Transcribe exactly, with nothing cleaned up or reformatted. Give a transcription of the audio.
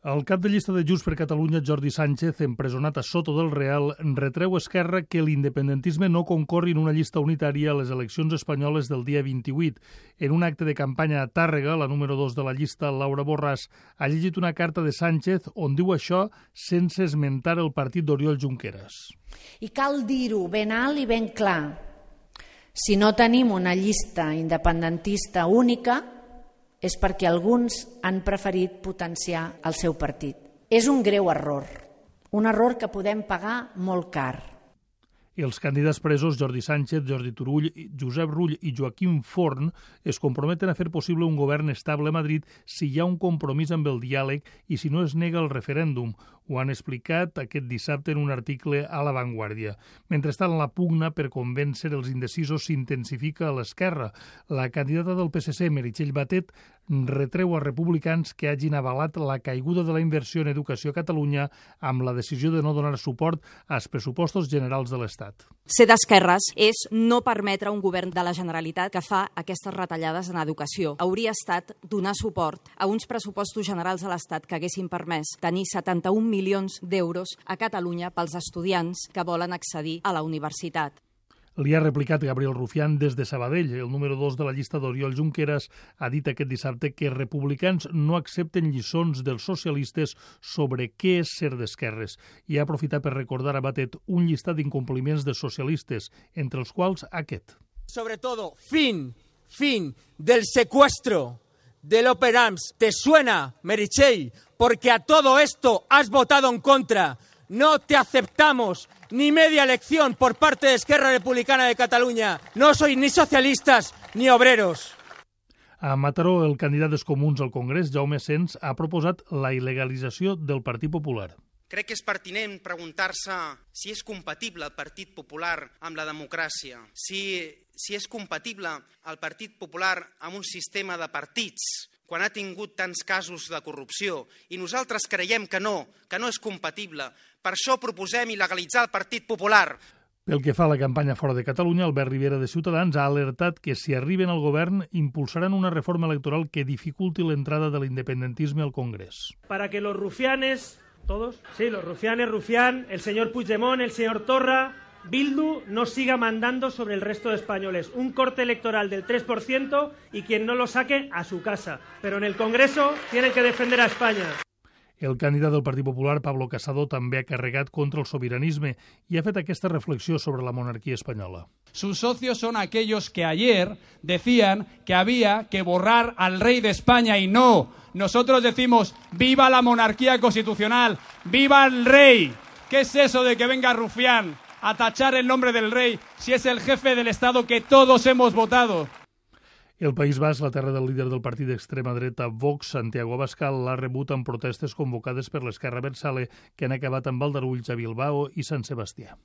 El cap de llista de Junts per Catalunya, Jordi Sánchez, empresonat a Soto del Real, retreu a Esquerra que l'independentisme no concorri en una llista unitària a les eleccions espanyoles del dia vint-i-vuit. En un acte de campanya a Tàrrega, la número dos de la llista, Laura Borràs, ha llegit una carta de Sánchez on diu això sense esmentar el partit d'Oriol Junqueras. I cal dir-ho ben alt i ben clar. Si no tenim una llista independentista única, és perquè alguns han preferit potenciar el seu partit. És un greu error, un error que podem pagar molt car. Els candidats presos, Jordi Sánchez, Jordi Turull, Josep Rull i Joaquim Forn, es comprometen a fer possible un govern estable a Madrid si hi ha un compromís amb el diàleg i si no es nega el referèndum. Ho han explicat aquest dissabte en un article a La Vanguardia. Mentrestant, la pugna per convèncer els indecisos s'intensifica a l'esquerra. La candidata del P S C, Meritxell Batet, retreu a republicans que hagin avalat la caiguda de la inversió en educació a Catalunya amb la decisió de no donar suport als pressupostos generals de l'Estat. Ser d'esquerres és no permetre un govern de la Generalitat que fa aquestes retallades en educació. Hauria estat donar suport a uns pressupostos generals de l'Estat que haguessin permès tenir setanta-un milions d'euros a Catalunya pels estudiants que volen accedir a la universitat. Li ha replicat Gabriel Rufián des de Sabadell. El número dos de la llista d'Oriol Junqueras ha dit aquest dissabte que republicans no accepten lliçons dels socialistes sobre què és ser d'esquerres i ha aprofitat per recordar a Batet un llistat d'incompliments de socialistes, entre els quals aquest. Sobre todo, fin, fin del secuestro del Operams. ¿Te suena, Meritxell? Porque a todo esto has votado en contra. No te aceptamos ni media elección por parte de Esquerra Republicana de Catalunya. No sois ni socialistas ni obreros. A Mataró, el candidat dels Comuns al Congrés, Jaume Sens, ha proposat la il·legalització del Partit Popular. Crec que és pertinent preguntar-se si és compatible el Partit Popular amb la democràcia, si, si és compatible el Partit Popular amb un sistema de partits quan ha tingut tants casos de corrupció, i nosaltres creiem que no, que no és compatible. Per això proposem il·legalitzar el Partit Popular. Pel que fa a la campanya fora de Catalunya, Albert Rivera de Ciutadans ha alertat que si arriben al govern impulsaran una reforma electoral que dificulti l'entrada de l'independentisme al Congrés. Para que los rufianes, todos, sí, los rufianes, Rufián, el señor Puigdemont, el señor Torra, Bildu no siga mandando sobre el resto de españoles. Un corte electoral del tres por ciento y quien no lo saque a su casa. Pero en el Congreso tienen que defender a España. El candidat del Partit Popular, Pablo Casado, també ha carregat contra el sobiranisme i ha fet aquesta reflexió sobre la monarquía española. Sus socios son aquellos que ayer decían que había que borrar al rey de España y no. Nosotros decimos viva la monarquía constitucional, viva el rey. ¿Qué es eso de que venga Rufián a tachar el nombre del rey si es el jefe del Estado que todos hemos votado? El País Basc, la terra del líder del partit d'extrema dreta Vox, Santiago Abascal, l'ha rebut amb protestes convocades per l'Esquerra Abertzale que han acabat amb aldarulls a Bilbao i Sant Sebastià.